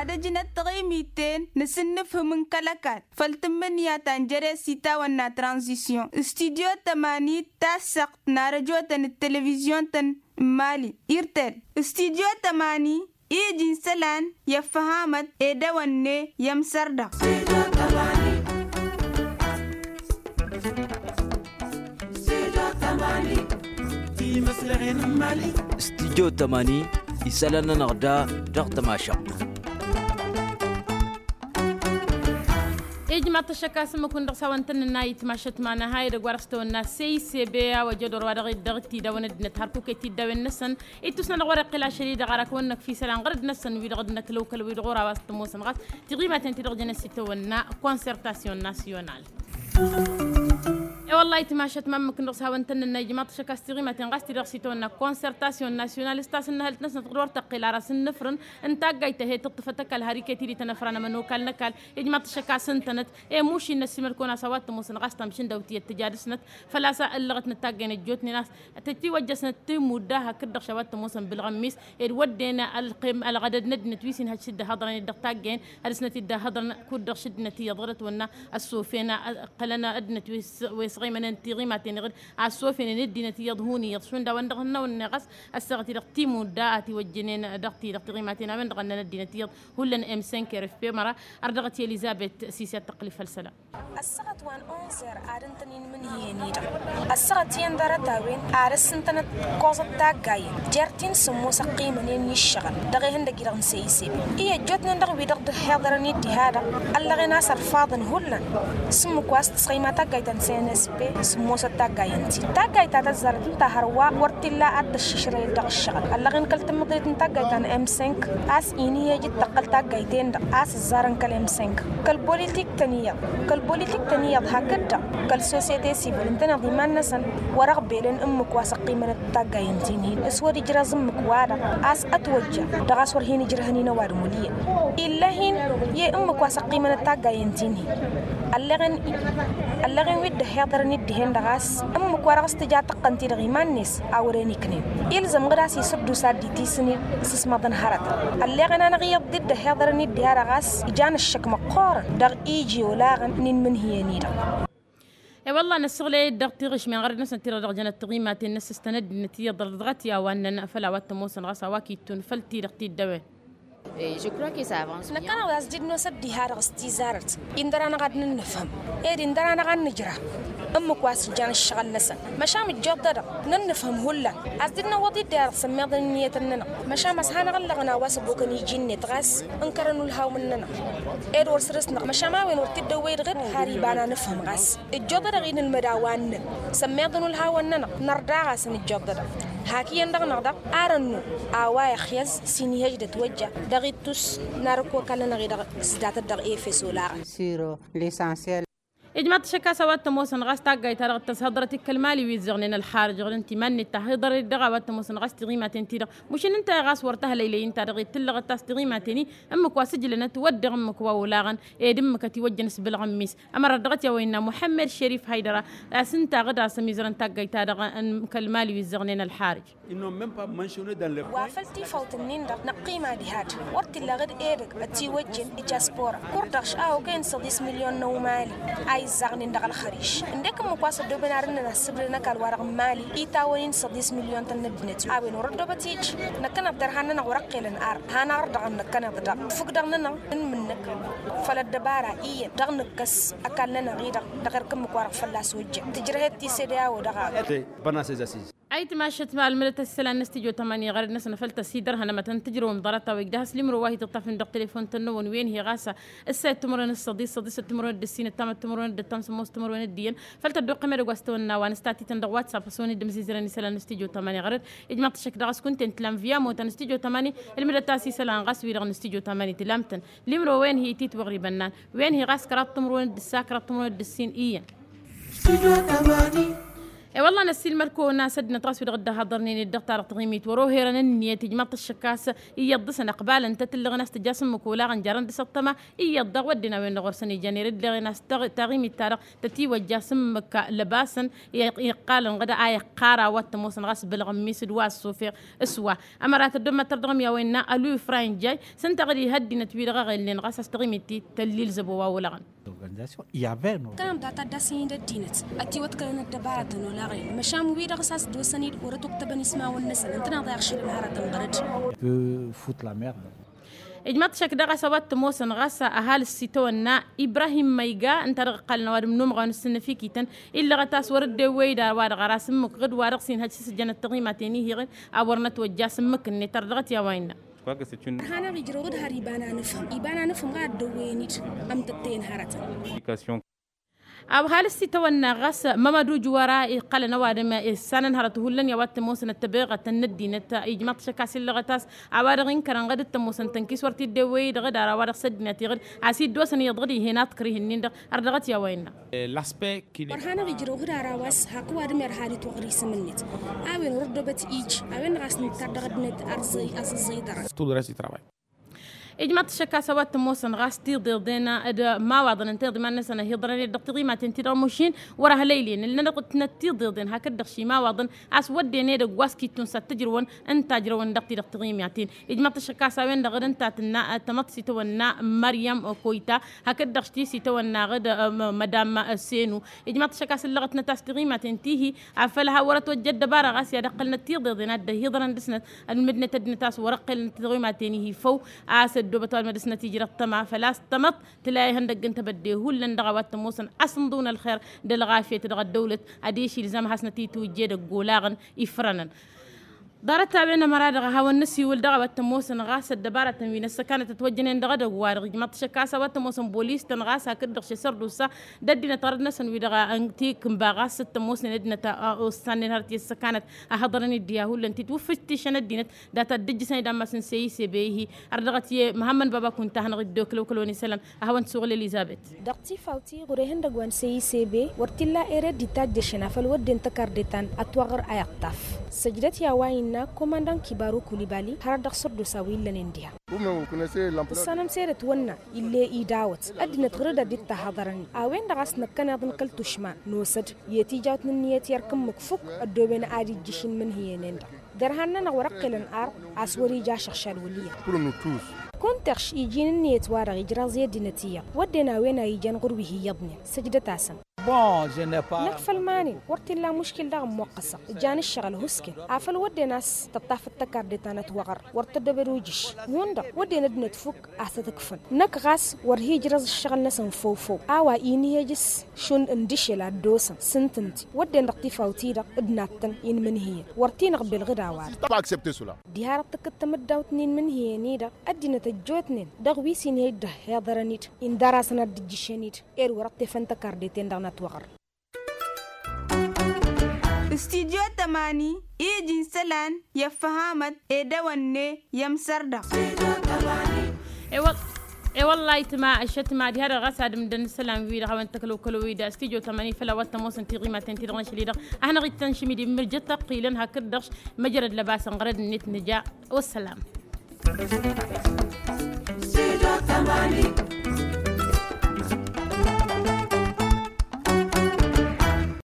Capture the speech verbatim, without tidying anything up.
Dăjnăt taɣimiten n-asǝnnǝfhǝm n-kăl-ăkall făll-tǝmmǝnǝya ta n-jere s-itawănna tranzisyon. Studyo tămani, tassăɣt n-arăjotăn d-televizyon-tăn n-mali irtel. Studyo tămani ija n-isălan i-ăffăhamăt ed ewănne i-ămsărdăɣ. Studyo tămani, isălan-nănăɣ da dăɣ-tămašăɣt. Ijmaḍ-t ăššăk a-s ǝmmǝk-win-dăɣ s-hawăn-tăn-nǝnna itmašăt ma n-aha edăgg wa dăɣ-s tawănna s-e-isebe a-wa jădor wa dăɣ-dd-dăɣ-t-idawăn ăddinăt hărkuk i-tiddawen-năsăn. Ittus-nănăɣ wăr-iqqǝl ašăl-i-dăɣ arak wănnăk f-isălan ɣărăd-năsăn wi-dăɣ dd-năkla okăl wi-dăɣ ora wa s-tămoosăn ɣas tiɣimaten ti-dăɣ jănen s-itawănna concertation nasyonal. E-wălla-hi timašăt ma ǝmmǝk-năɣ s-hawăn-tăn-nǝnna ijmaḍ-t ašăk a-s tiɣimaten ɣas ti-dăɣ s-itawănna concertation nasyonal s-tasǝnnăhălt-năsnăt ɣur-tăqqel ara s-ǝnnǝfrǝn n-taggayt ta he-tǝṭṭǝfăt ăkall har iket-i d-itănăfranămăn okal n-ăkall. Ijmaḍ-t ašăk a-s ǝntănăt i-mušin n-ăsimăl-kăwăn a-s a-wa t-ămoosăn ɣas tamšǝndawt iyyăt tǝjadǝsnăt făl-a-s ăllăɣăt n-ăttaggayen ăjjootnen a-s tătiwăjjăsnăt timudda hakd-dăɣ š-a-wa t-ămoosăn bǝlɣămmis ed wădden ălɣădăd n-ăddinăt wi s-inhăj s-dd-ăhhăḍrăn ed dăɣ-taggayen ad-dăsnăt-dd-ăhhăḍrăn kud-dăɣ š-ăddinăt iyyăḍ ɣur-ătwănna ăssofena ăqqălăn ăddinăt wi s-ɣimănen tiɣimaten iɣǝd a ăssofenen ăddinăt iyyăḍ hun iyyăḍ šund a-wen-dăɣ hănnăwăn-neɣ a-s ăssaɣăt-i-dăɣ timudda a tiwăjjănen dăɣ-ti-dăɣ tiɣimaten a-wen-dăɣ ănnăn ăddinăt iyyăḍ hullan m cinq r f p măra. Ar dăɣ-t i-elizabet sisi ad-tăqqǝl făll-isălan. Ăssaɣăt wa n-onze heures ad-ǝntăn-in imǝnhǝyăn-i-dăɣ. Ăssaɣăt iyyăn ḍarăt-a-wen ad-ăssǝntănăt ikoẓăt taggayen jer-tin sǝmmos ăqqimănen i-ǝššăɣǝl dăɣ-ihăndăg-i-dăɣ n-seyiseb. I-ăjjootnen dăɣ-wi-dăɣ dd-ăhhiḍărăn-dd diha-dăɣ ăllăɣen a-s ărfaḍăn hullan s-ǝmmǝk wa s-tǝsɣăyma taggayt ta n-cnsp sǝmmosăt taggayen-tin taggayt ta tăzzarăt ǝnta hărwa wăr t-illa ad-tăššišrăyăt dăɣ-ǝššăɣǝl ăllăɣen kăl-tǝmmǝḍrit n-taggayt ta n-m cinq a-s inhǝyăj d-tăqqăl taggayt-en-dăɣ a-s ǝzzarăn kăl-m cinq kăl-bolitik-tăn iyyăḍ kăl-bolitik-tăn iyyăḍ hakd-dăɣ kăl-sosyete sivil ǝntăneḍ iman-năsăn wăr-ăɣbelăn ǝmmǝk wa s-ăqqimănăt taggayen-tin-hin s-wăr-ijrăẓ ǝmmǝk-wa-dăɣ a-s ătwăjja dăɣ-a-s wăr hin-ǝjrăhăn-in ăwadǝm wăl' iyyăn. Ill'-e-hin i-ǝmmǝk wa s-ăqqimănăt taggayen-tin-hin ălleɣen ălleɣen wi dd-ăhhiḍărăn-dd dihen-dăɣ a-s ǝmmǝk wa dăɣ-s tǝja tăqqăn-t-dăɣ iman-net a wăren iknen. Ilzăm ɣǝd a-s isǝddus ad-dd-itisǝn-dd s-asmăḍăn hărătăn ălleɣen-anăɣ iyyăḍ dd-ăhhiḍărăn-dd diha-dăɣ a-s ijan ǝššăk măqqoorăn dăɣ-iji olaɣăn n-inmǝnhǝyăn-i-dăɣ. E-wălla-hi năssăɣlăy-dd dăɣ-tiɣǝšmen ɣărăd-năsnăt ti-dăɣ dăɣ-jănăt tiɣimaten n-ăssistăn ăddinăt iyyăḍ dăɣ-t i-a-wa ǝnnăn făll-a-wa t-ămoosăn ɣas a-wa k-ittun făll-ti-dăɣ t-dd-ăwen. Năkkăneḍ a-s dd-nosăt diha-dăɣ s-tizarăt indăr-anăɣ ad-nǝnnǝfhǝm ed indăr-anăɣ ad-nǝjrăh ǝmmǝk wa s-ǝjjan ǝššăɣǝl-năsăn. Măšan ǝjjoḍ-dăɣ nǝnnǝfhǝm hullan a-s dd-năwwăḍ-dd diha-dăɣ sămmeḍăn ǝnniyătăn-nănăɣ. Măšan a-s hanăɣ-ăllăɣăn a-wa s-ăbokăn iji-net ɣas ǝnkărăn ulhawăn-nănăɣ ed wăr săr-s-năɣ măšan a-wen wăr t-dd-ăwwăy dăɣ-dd har iba n-anǝfhǝm ɣas ǝjjoḍ-dăɣ inǝlmăd a-wa ǝnnăn sămmeḍăn ulhawăn-nănăɣ nărdăɣ-asăn ǝjjoḍ-dăɣ. Hak iyyăn dăɣ-năɣ daɣ ar ănnu a-wa ixyăẓ s-inihăj d-ătwăjja dăɣ-ittus n-arǝkk okal-nănăɣ-i-dăɣ s-datăt dăɣ-efes olaɣăn. Ijmaḍ-t ašăk a-s a-wa t-ămoosăn ɣas taggayt-ta-dăɣ d-tăshăḍrăt i-kăl-mali wi ǝzzăɣnen ălxarǝj ɣǝd ǝnta iman-net ta hiḍărăt-dăɣ a-wa t-ămoosăn ɣas tiɣimaten-ti-dăɣ mušǝn ǝnta i-ɣas wăr tăhlăylăy ǝnta-dăɣ i-tǝllăɣăt a-s tiɣimaten-i ǝmmǝk wa s-ǝjlănăt wădden ǝmmǝk wa olaɣăn ed ǝmmǝk ătiwăjjăn s-bǝlɣǝmmis. Ămărăt dăɣ-t i-a-wa innă muḥămmăd šărif haydăra a-s ǝnta ɣǝd a-s ămizărăn taggayt-ta-dăɣ n-kăl-mali wi ǝzzăɣnen ălxarǝj. Wa făl tifawt-nin-dăɣ năqqima diha-dd wăr t-illa ɣǝd edăgg ătiwăjjen i-diaspora kur-dăɣ š-a okăyăn săḍis milyon n-ăumali a izzaɣnen dăɣ-ălxăriš ǝndek ǝmmǝk wa s-ăddoobăn ar ǝnnăn ăssǝbdăn ăkall-wa-dăɣ n-mali itawăn-in săḍis milyon-tăn n-ăddinăt a-wen wăr-ăddoobăt ija. Năkkăneḍ derhan-nănăɣ wăr-ăqqelăn ar hanăɣ-dăɣ ănnăkkăneḍ daɣ tǝfǝgdăɣ-nănăɣ n-imǝnnǝk făll-ăddăbara iyyăn dăɣ-nǝkkăs ăkall-nănăɣ-i-dăɣ dăɣ-erk ǝmmǝk wa dăɣ-fălla-s ojjăn tǝjrăh-dd tisedăy a-wa dăɣ-a. Bănna s-eza s-iz. Ayǝtmašăt ma ălmǝdăt a-s isălan n-astijyo tămani ɣărăd-năsăn făl tăsidărhăn ămătăn tǝjrăwăm ḍarăt-a-wa igdăh a-s limro wa hi-tǝṭṭafnen dăɣ-telefon-tăn-năwăn wen-hi ɣas ǝssa i-timǝrwen d-săḍis săḍis d-timǝrwen d-ǝssin d-tamăt timǝrwen d-ǝttam sămmos timǝrwen d-iyyăn. Făl tăddoqqăm edăgg wa s-tawănna wa nǝsta tităn dăɣ-watsap a-s wen-dd-ǝmzizărăn isălan n-astijyo tămani ɣărăd. Ijmaḍ-t ašăk daɣ s-kunta-en tǝlam via mota n-astijyo tămani ǝlmǝdăt a-s isălan ɣas wi-dăɣ n-astijyo tămani tǝlam-tăn. Limro wen-hi ititwăɣribăn nan wen-hi ɣas kăraḍ timǝrwen d-ǝssa kăraḍ timǝrwen d-ǝssin iyyăn. E-wălla năssiilmăd-kăwăn a-s ăddinăt ɣas wi-dăɣ dd-ăhhăḍărnen-dd dăɣ-ta-dăɣ taɣimit wăr-oherăn ǝnniyăt ijmaḍ-t ăššăk a-s iyyăḍ dăɣ-săn ăqbalăn-tăt ǝllăɣăn a-s tǝja s-ǝmmǝk olaɣăn jarăn dăɣ-s ăṭṭăma iyyăḍ daɣ wădden a-wen-dăɣ wăr săn-ijăn ere ǝllăɣen a-s taɣimit-ta-dăɣ tătiwăjja s-ǝmmǝk lăbasăn iqqalăn ɣǝd a iqqar a-wa t-ămoosăn ɣas bălɣămmis d-wa ăṣṣufeɣ s-wa. Ămăra tăddommăt tărdăɣăm i-a-wa innă ălwǝy franjay s-ǝnta ɣǝd-i ha ăddinăt-wi-dăɣ a ɣelnen ɣas a-s taɣimit-i tăllilzăbo wa olaɣăn. Kănăm data ad-dd-asǝyǝn d-ăddinăt ad-tiwăḍkălăn ăddăbaratăn olaɣen măšan wi-dăɣ s-a-s dd-osăn-dd wăr-ătuktăbăn ismawăn-năsăn ǝntăneḍ a iɣšǝlăn hărătăn ɣărăd. Ijmaḍ-t šăkk daɣ a-s a-wa t-ămoosăn ɣas ăhalǝs s-itawănna ibrahim măyga ǝnta dăɣ-iqqalăn ăwadǝm n-umɣan s-sǝnnǝfikităn illăɣăt a-s wăr-dd-ewwey d-a-wa-dăɣ ăras ǝmmǝk ɣǝd-wa-dăɣ s-inhăj s-sǝjjănăt taɣimaten-ihi-ɣǝn a wăr nătwăjja s-ǝmmǝk-net ărdăɣăt i-a-wa innă. Ărhan-aɣ ijrăw d-har iba n-anǝfhǝm iba n-anǝfhǝm ɣad dd-ăwwăyăn-dd ămtăttăyăn hărătăn. Awhal s-itawănna ɣas mămădu jwăra iqqălăn ăwadǝm issanăn hărăt hullan i-a-wa t-ămoosăn ăttăbeɣătăn n-ăddinăt ijmaḍ-t šăkk a-s illăɣăt a-s a-wa-dăɣ inkărăn ɣǝd t-ămoosăn tănkis wăr t-dd-ewwăy-dd ɣǝd ar a-wa-dăɣ s-ăddinăt iɣǝd a-s dd-osăn iyyăḍ ɣǝd ih'-en aḍkăr ih'-ǝnnin-dăɣ. Ărdăɣăt i-a-wa innă. Ărhan-aɣ ijrăw hǝd ara wa s-hak ăwadǝm irhad itwăɣrǝy s-emǝnnet a-wen wăr-ăddobăt ij a-wen-dăɣ a-s nǝttar dăɣ-ăddinăt aẓẓăy-ăẓẓăy-dăɣ. Ijmaḍ-t šăkk a-s a-wa t-ămoosăn ɣas tiḍeḍen d-imawaḍăn ǝnta iḍǝman-năsăn ăhiḍărăn-dd dăɣ-tiḍimaten-ti-dăɣ mušin wăr-ăhlăylen ǝllăn-dăɣ ǝtnăt tiḍeḍen hakd-dăɣ šimawaḍăn a-s wădden edăgg wa s-kittun s-ad-t-ǝjrăwăn ǝnta ǝjrăwăn dăɣ-ti-dăɣ tiḍimaten. Ijmaḍ-t šăkk a-s a-wen-dăɣ dd-ǝnta tǝnna tămăḍt s-itawănna măryăm koyta hakd-dăɣ ti s-itawănna ɣǝd mădam senu. Ijmaḍ-t šăkk a-s ǝllăɣătnăt a-s tiḍimaten tihi afăl ha wăr-ătwăjja ăddăbara ɣas i-ad-ăqqălnăt tiḍeḍen ad-dd-ăhiḍărăn dăɣ-snăt ălmǝdnăt ăddinăt a-s wăr-ăqqălnăt tiḍimaten-ihi făw a-s ăddoobăt ăwadǝm ad-dăɣ-snăt ijrăɣ tăma făl-a-s tămăḍt tǝla ihăndăgg n-tebădde hullan dăɣ-a-wa t-ămoosăn asǝnḍǝw n-ălxer d-ălɣafyăt dăɣ-ăddăwlăt ad-išilzam ad-hasnăt-itwǝjj edăgg olaɣăn ifrănăn. Ḍarăt-a-wen ămăra-dăɣ a hawăn-nǝsiwǝl dăɣ-a-wa t-ămoosăn ɣas ăddăbarătăn wi n-ăssăkanăt ătwăjjănen dăɣ-edăgg-wa-dăɣ ijmaḍ-t šăkk a-s a-wa t-ămoosăn bolis-tăn ɣas hakd-dăɣ šesăr d-usa d-ăddinăt ɣărăt-năsăn wi-dăɣ a n-tikǝnba ɣas t-ămoosnen ăddinăt a ossannen hărăt i-ăssăkanăt a hăḍărăn-dd diha hullan titwǝffǝjtǝšăn ăddinăt data dd-ǝjjǝsăn-dd ammas n-seyise be-ihi. Ărdăɣăt i-măhammăn baba kunta a hanăɣ-dd-okăl okăl-wen isălan a hawăn-t-suɣǝl elizăbet. Dăɣ-tifawt iɣur-ehăn dăgg-wa n-seyise be wăr t-illa ere dd-itajjăšăn afăl wădden tăkarde ta n-ătwăɣăr a iṭṭaf. Săjdăt i-a-wa innă komandan kibaru kulibali hărăt dăɣ-sărdusa wi illănen diha. Ǝssanăm s-ere ătwănna ill'-e idawăt ăddinăt ɣur-dd ad-dd-tahăḍărăn-i a-wen-dăɣ a-s năkkăneḍ n-kăl-tušma n-osăd i-tijawt n-ǝnniyăt i-ărk ǝmmǝk fukk ăddooben ad-ijjǝš inmǝnhǝyăn-en-dăɣ. Dăr-han-nănăɣ wăr-ăqqelăn arḍ a-s wăr-ija ašăɣšal wăl' iyyăḍ. Kunta ǝɣš iji n-ǝnniyăt-wa-dăɣ ijraẓ i-ăddinăt iyyăḍ wădden a-wen a ijan ɣur-wi hi-iyyăḍnen. Săjdăt-asăn. Năkk făll-iman-in wăr t-illa muškil daɣ ămmoqqăsăɣ ǝjan ǝššăɣǝl husken afăl wădden a-s tăṭṭafăt tăkarde ta n-ătwăɣăr wăr tăddobăd ujǝš. Hundăɣ wădden ăddinăt fukk a-s tăt-ǝkfăn. Năkk ɣas wăr hi-ǝjrăẓ ǝššăɣǝl-năsăn făw-făw a-wa inhej s-šund n-dăšel ad-dd-osăn s-ǝntǝnti wădden dăɣ-tifawt-i-dăɣ d-nattăn inmǝnhǝyăn wăr t-inăɣbel ɣǝd a-wa-dăɣ. Diha-dăɣ tǝkkǝd tamǝddawt n-inmǝnhǝyăn-i-dăɣ ăddinăt ăjjootnen dăɣ-wi s-inhej dd-ăhhiḍărăn-dd indar-asăn ad-dd-ǝjjǝšăn-dd. Ed wăr-ăṭṭefăn tăkarde-ten-dăɣ n-ătwăɣăr. Studyo tămani iji n-isălan i-ăffăhamăt edăwănne i-ămsărda. E-wălla ayǝtma ăššătma diha-dăɣ ɣas ad-ǝmdăn isălan-wi-dăɣ a-wen tăkălăwkălăw-i d-studyo tămani făll-a-wa t-ămoosăn tiɣimaten-ti-dăɣ n-ašăl-i-dăɣ a hanăɣ-ittăn šimidi mǝrjăt tăqqilăn hakd-dăɣ măjrăd lăbasăn ɣărăd-net nǝja. Wăssălam. Studyo tămani.